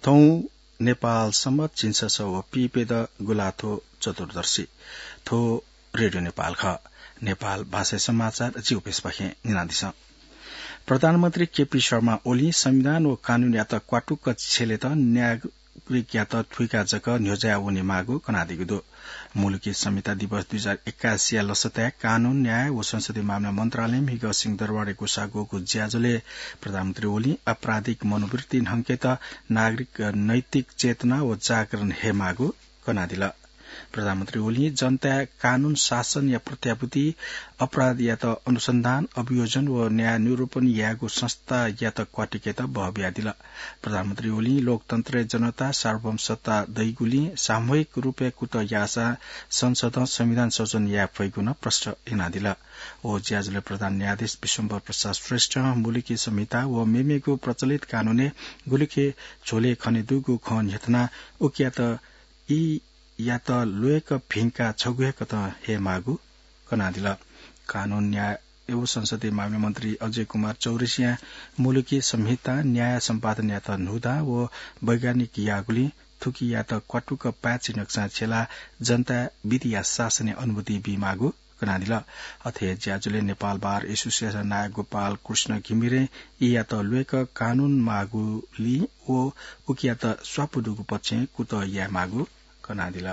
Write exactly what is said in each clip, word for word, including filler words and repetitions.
थौं नेपाल सम्बत झिंछसः व पीप्यदँ गुंलाथ्व चतुर्दशी। थ्व रेडियो नेपाल खः। नेपाल भाषाय् समाचार जिगु प्यसःपाखें न्यनादिसँ। प्रधानमन्त्री केपी शर्मा ओलीं संविधान व कानूनयात क्वातुक्क छ्यलेत नागरिकयात थुइका जक न्ह्यज्याः वनेमाःगु कनादीगु दु। मुलुकी संहिता दिवस दुई हजार एक्कासीया लसताय् कानून, न्याय व संसदीय मामला मन्त्रालयं म्हिगः सिंहदरबारय् ग्वसाः ग्वःगु ज्याझ्वलय् प्रधानमन्त्री ओलीं आपराधिक मनोवृत्ति न्हंकेत नागरिक नैतिक चेतना व जागरण हयेमाःगु कनादिल। प्रधानमन्त्री ओलीं जनताय् कानून शासनया प्रत्याभूति, अपराधयात अनुसन्धान, अभियोजन व न्याय निरूपण यायेगु संस्थायात क्वातुकेत बह बियादिल। प्रधानमन्त्री ओलीं लोकतन्त्रय् जनता सार्वभौम सत्ता दइगुलिं सामूहिक रूपय् कुतः याःसा संसदं संविधान सृजन याये फइगु नं प्रश्न यनादिल। व ज्याझ्वलय् प्रधान न्यायाधीश विश्वम्भर प्रसाद श्रेष्ठं मुलुकी संहिता व मेमेगु प्रचलित कानूनय् गुलिखे झ्वलय् खने दुगु खँ न्ह्यथनाः उकियात ई यात ल्वय्क भिंकाः छगू हे कथं हयेमाःगु कनादिल। कानून, न्याय व संसदीय मामला मन्त्री अजय कुमार चौरसियां मुलुकी संहिता, न्याय सम्पादनयात न्हूदँ व वैज्ञानिक याःगुलिं थुकियात क्वातुक्क पाय्छि नकसां छ्यलाः जनताय् विधिया शासनया अनुभूति बीमाःगु कनादिल। अथे हे ज्याझ्वलय् नेपाल बार एसोसिएसन नायः गोपाल कृष्ण घिमिरें ईयात ल्वय्क कानून माःगुलिं व उकियात स्वापू दुगु पक्षय् कुतः यायेमाःगु कनादिल।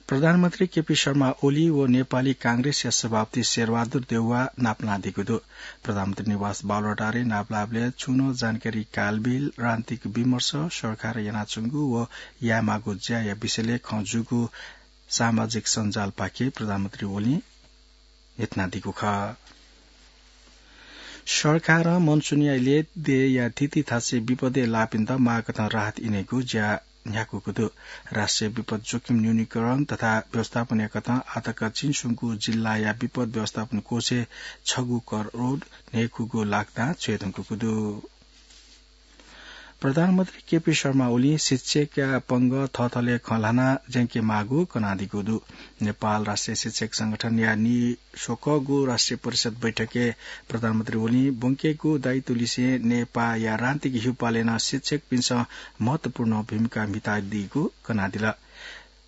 प्रधानमन्त्री केपी शर्मा ओली व नेपाली कांग्रेसया सभापति शेरबहादुर देउवा नापलानादीगु दु। प्रधानमन्त्री निवास बालुवाटारय् नापलाःबलय् छुं नं जानकारी कालबिल, राजनीतिक विमर्श, सरकारं यानाच्वंगु व यायेमाःगु ज्याया विषयलय् खँ जूगु सामाजिक सञ्जालपाखे प्रधानमन्त्री ओलीं न्ह्यथनादीगु खः। सरकारं मनसुनया इलय् देय्‌या थीथी थासय् विपदय् लाःपिन्त माःकथं राहत इनेगु ज्या न्ह्याकूगु दु। राष्ट्रिय विपद जोखिम न्यूनीकरण तथा व्यवस्थापनया कथं आःतक चिंस्वंगू जिल्लाया विपद व्यवस्थापन कोषय् छगू करोड न्हय्‌खूगू लाख दां च्वय् धुंकूगु दु। प्रधानमन्त्री केपी शर्मा ओलीं शिक्षकया पंगः थःथलय् खँ ल्हानाः ज्यंकेमाःगु कनादीगु दु। नेपाल राष्ट्रिय शिक्षक संगठनया नीस्वकःगु राष्ट्रिय परिषद बैठकय् प्रधानमन्त्री ओलीं ब्वंकेगु दायित्व लिसें नेपाःया राजनीतिक हिउपालय् नं शिक्षकपिन्सं महत्वपूर्ण भूमिका म्हितादीगु कनादिल।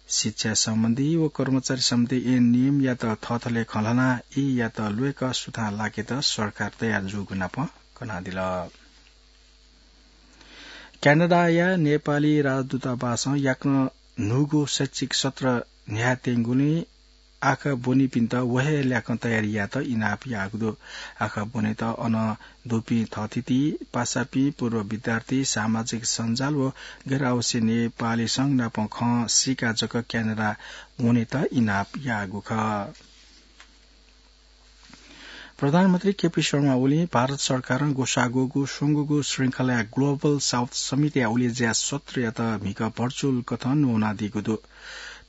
शिक्षा सम्बन्धी व कर्मचारी सम्बन्धी ऐन नियमयात थःथलय् खँ ल्हानाः ईयात ल्वय्क सुथां लाकेत सरकार तयार जूगु नापं कनादिल। क्यानाडाया नेपाली राजदूतावासं याकनं न्हूगु शैक्षिक सत्र न्ह्यायेत्यंगुलिं आखः ब्वनीपिन्त व हे ल्याखं तयारी यायेत इनाप याःगु दु। आखः ब्वनेत अन दुपिं थःथिति, पासापिं, पूर्व विद्यार्थी, सामाजिक सञ्जाल व गैर आवासीय नेपाली संघ नाप खँ सीकाः जक क्यानाडा वनेत इनाप याःगु खः। प्रधानमन्त्री केपी शर्मा ओलीं भारत सरकारं ग्वसाः ग्वःगु स्वंगूगु श्रृंखलाया ग्लोबल साउथ समिटया उलेज्या सत्रयात म्हिगः भर्चुअल कथं न्ववानादीगु दु।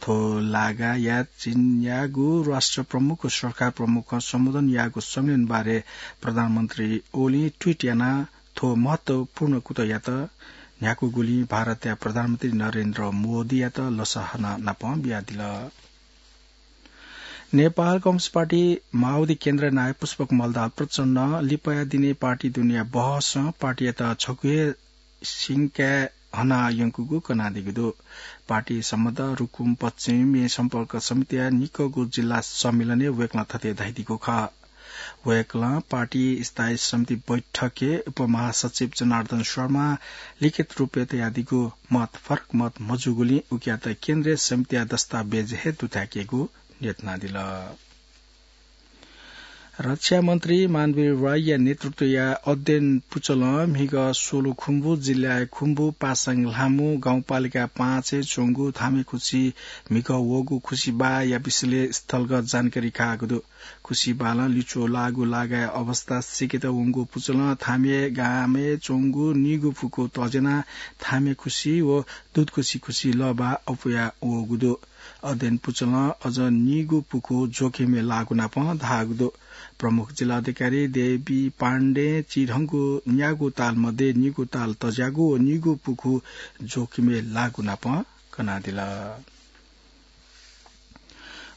थ्व लागाया चीनयागु राष्ट्र प्रमुख व सरकार प्रमुखं सम्बोधन याःगु सम्मेलन बारे प्रधानमन्त्री ओलीं ट्वीट यानाः थ्व महत्वपूर्ण कुतःयात न्ह्याकूगुलिं भारतया प्रधानमन्त्री नरेन्द्र मोदीयात लसहना नापं बियादिल। नेपाल कम्युनिस्ट पार्टी माओवादी केन्द्र नायः पुष्पकमल दाहाल प्रचण्डं लिपाया दिनय् पार्टी दुनेया बहसं पार्टीयात छगू हे सिंकाय् हना यंकूगु कनादीगु दु। पार्टी सम्बद्ध रुकुम पश्चिमय् सम्पर्क समितिया निकःगु जिल्ला सम्मेलनय् वय्कलं थथे धयादीगु खः। वय्कलं पार्टी स्थायी समिति बैठकय् उपमहासचिव जनार्दन शर्मां लिखित रूपय् तयादीगु मत फरक मत मजूगुलिं उकियात केन्द्रीय समितिया दस्तावेज हे दुथ्याकेगु न्ह्यथनादिल। रक्षा मन्त्री मानवीर राईया नेतृत्वया अध्ययन पुचलं म्हिगः सोलुखुम्बु जिल्लाया खुम्बु पासाङ ल्हामु गाउँपालिका पाँचय् च्वंगु थामेखुसी म्हिगः वःगु खुसीबाःया विषयलय् स्थलगत जानकारी काःगु दु। खुसीबालं लिच्वः लाःगु लागाया अवस्था सीकेत वंगु पुचलं थामे गामय् च्वंगु निगू पुखू तज्यानाः थामेखुसी व दुधखुसी खुसी लःबाः अप्वया वःगु दु। अध्ययन पुचलं अझ निगू पुखू जोखिमय् लाःगु नापं धाःगु दु। प्रमुख जिल्ला अधिकारी देवी पाण्डें चिधंगु न्यागू ताल मध्ये निगू ताल तज्याःगु व निगू पुखू जोखिमय् लाःगु नापं कनादिल।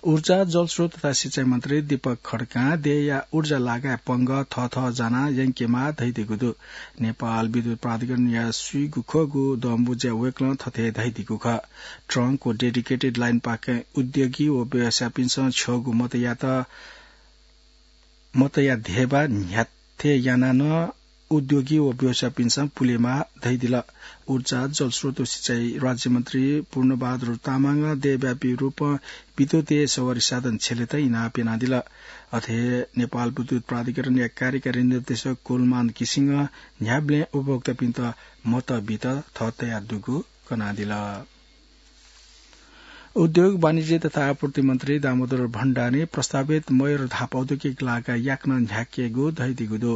ऊर्जा, जलस्रोत तथा सिँचाइ मन्त्री दीपक खड्कां देय्‌या ऊर्जा लागाय् पंगः थःथः जानाः यंकेमाः धयादीगु दु। नेपाल विद्युत प्राधिकरणया स्वीगु खःगु दँबुँज्याय् वय्‌कलं थथे धयादीगु खः। ट्रंक व डेडिकेटेड लाइनपाखें उद्योगी व व्यवसायीपिन्सं छ्यःगु मतयात मतया धेबा न्ह्याथे यानाः नं उद्योगी व व्यवसायीपिन्सं पुलेमाः धयादिल। ऊर्जा, जलस्रोत व सिँचाइ राज्यमन्त्री पूर्णबहादुर तामाङं देय्‌व्यापी रूपं विद्युतीय सवारी साधन छ्यलेत इनाप यानादिल। अथे हे नेपाल विद्युत प्राधिकरणया कार्यकारी निर्देशक कुलमान घिसिङं न्ह्याबलें उपभोक्तापिन्त मत बीत थः तयार दुगु कनादिल। उद्योग, वाणिज्य तथा आपूर्ति मन्त्री दामोदर भण्डारीं प्रस्तावित मयूर धाप औद्योगिक लागा याकनं न्ह्याकेगु धयादीगु दु।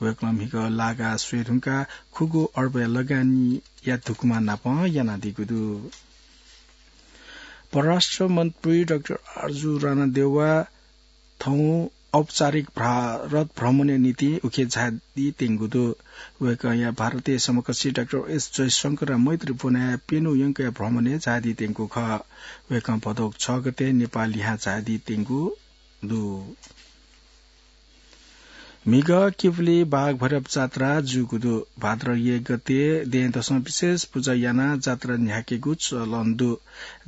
वय्‌कलं म्हिगः लागा स्वये धुंकाः खुगू अर्बया लगानीया धुकुमा नापं यानादीगु दु। परराष्ट्र मन्त्री डाक्टर आरजु राणादेउवा थौं औपचारिक भारत भ्रमणया निंतिं उखे झायादी त्यंगु दु। वय्‌कःया भारतीय समकक्षी डाक्टर एस जयशंकरया मैत्री ब्वनाय् प्यन्हु यंकया भ्रमणय् झायादी त्यंगु खः। वय्‌कः भदौ छ गते नेपाल लिहां झायादी त्यंगु दु। म्हिगः किपुली बाघ भैरव जात्रा जूगु दु। भाद्र एक गते दँय्‌दसं विशेष पुजा यानाः जात्रा न्ह्याकेगु चलन दु।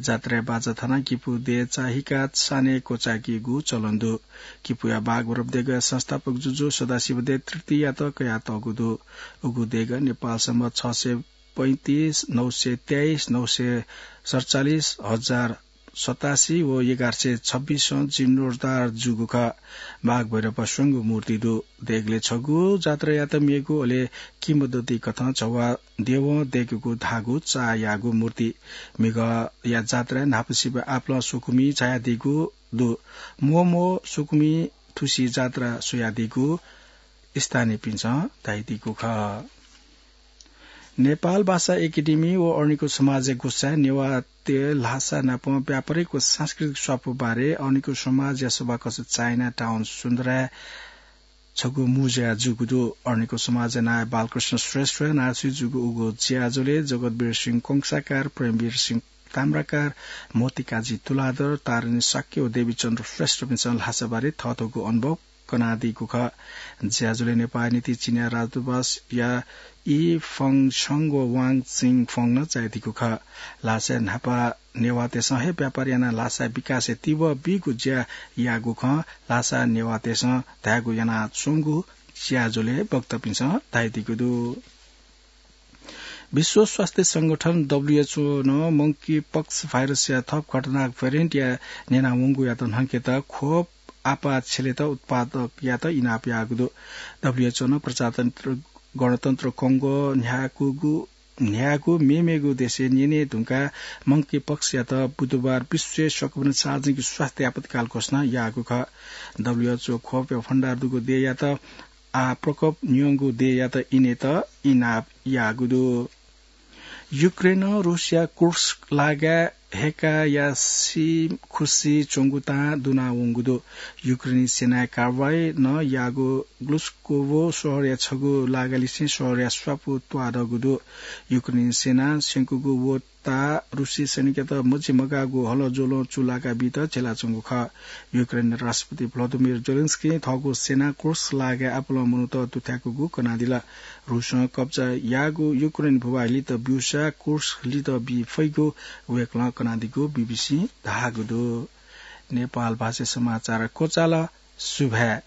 जात्राय् बाजा थानाः किपू दँय् चाःहिकाः सानय् क्वचाय्‌केगु चलन दु। किपूया बाघ भैरव देगःया संस्थापक जुजु सदाशिव दँय् तृतीयात कयातःगु दु। उगु देगः नेपाल सम्बत छ सय पैंतिस, नौ सय तेइस, नौ सय सतचालिस, हजार सतासी व एघार सय छब्बिसं जीर्णोद्धार जूगु खः। बाघ भैरवया स्वंगू मूर्ति दु। देगलय् छगू जात्रायात मेगु, अले किंवदन्ती कथं झ्वः देवं दय्‌कूगु धाःगु चाःयागु मूर्ति। म्हिगःया जात्राय् न्हापासिबय् आपालं स्वकुमि झायादीगु दु। म्वःम्वः स्वकुमि थुसी जात्रा स्वयादीगु स्थानीयपिन्सं धयादीगु खः। नेपाल भाषा एकेडेमी व अरनिको समाजया ग्वसाय् नेवाःतय् ल्हासा नाप व्यापारिक व सांस्कृतिक स्वापू बारे अरनिको समाजया सभाकक्ष चाइना टाउन सुन्दराय् छगू मू ज्या जूगु दु। अरनिको समाजया नायः बालकृष्ण श्रेष्ठया नांसुइ जूगु उगु ज्याझ्वलय् जगतवीर सिंह कंसाकार, प्रेमवीर सिंह ताम्राकार, मोतीकाजी तुलाधर, तारिणी शाक्य व देवीचन्द्र श्रेष्ठपिन्सं ल्हासा बारे थःथःगु अनुभव कनादीगु खः। ज्याझ्वलय् नेपाःया निंतिं चिनियाँ राजदूतवासया ई फङ छङ व वाङ चिङ फङ नं झायादीगु खः। ल्हासाय् न्हापा नेवाःतय्सं हे व्यापार यानाः ल्हासाया विकासय् तिबः बीगु ज्या याःगु खँ ल्हासा नेवाःतय्सं धायेगु यानाच्वंगु ज्याझ्वलय् वक्तापिन्सं धयादीगु दु। विश्व स्वास्थ्य संगठन, डब्ल्युएचओ, नं मंकी पक्स भाइरसया थप खतरनाक भेरिएन्टया न्यनावंगुयात न्हंकेत खोप आपाः छ्यलेत उत्पादकयात इनाप याःगु दु। डब्ल्युएचओ नं प्रजातन्त्र गणतन्त्र कंगो न्ह्याकूगु न्ह्यागु मेमेगु देशय् न्यने धुंकाः मंकी पक्सयात बुधबार विश्व संक्रमण सार्वजनिक स्वास्थ्य आपतकाल घोषणा याःगु खः। डब्ल्युएचओ खोपया भण्डार दुगु देय्‌यात आः प्रकोप न्यंगु देय्‌यात इनेत इनाप याःगु दु। युक्रेनं रूसया कुर्स्क लागाय् हय्‌काया सीखुसी च्वंगु तां दुनावंगु दु। युक्रेनी सेनाया कारवाही नं याःगु ग्लुस्कोभो शहरया छगू लागालिसें शहरया स्वापू त्वाःदःगु दु। युक्रेनी सेनां स्यंकूगु व ताः रूसी सैनिकयात मजिमगाःगु हलज्वलं चूलाका बीत झेलाच्वंगु खः। युक्रेन राष्ट्रपति भ्लादिमिर जेलेन्स्कीं थःगु सेनां कुर्स्क लागाय् आपालं मनूत दुथ्याकूगु कनादिल। रूसं कब्जा याःगु युक्रेन भूभाग लित ब्यूसा कुर्स्क लित बी फइगु वय्‌कलं कनादीगु बीबीसीं धाःगु दु। नेपाल भाषा समाचार क्वचाल। सुभाय्।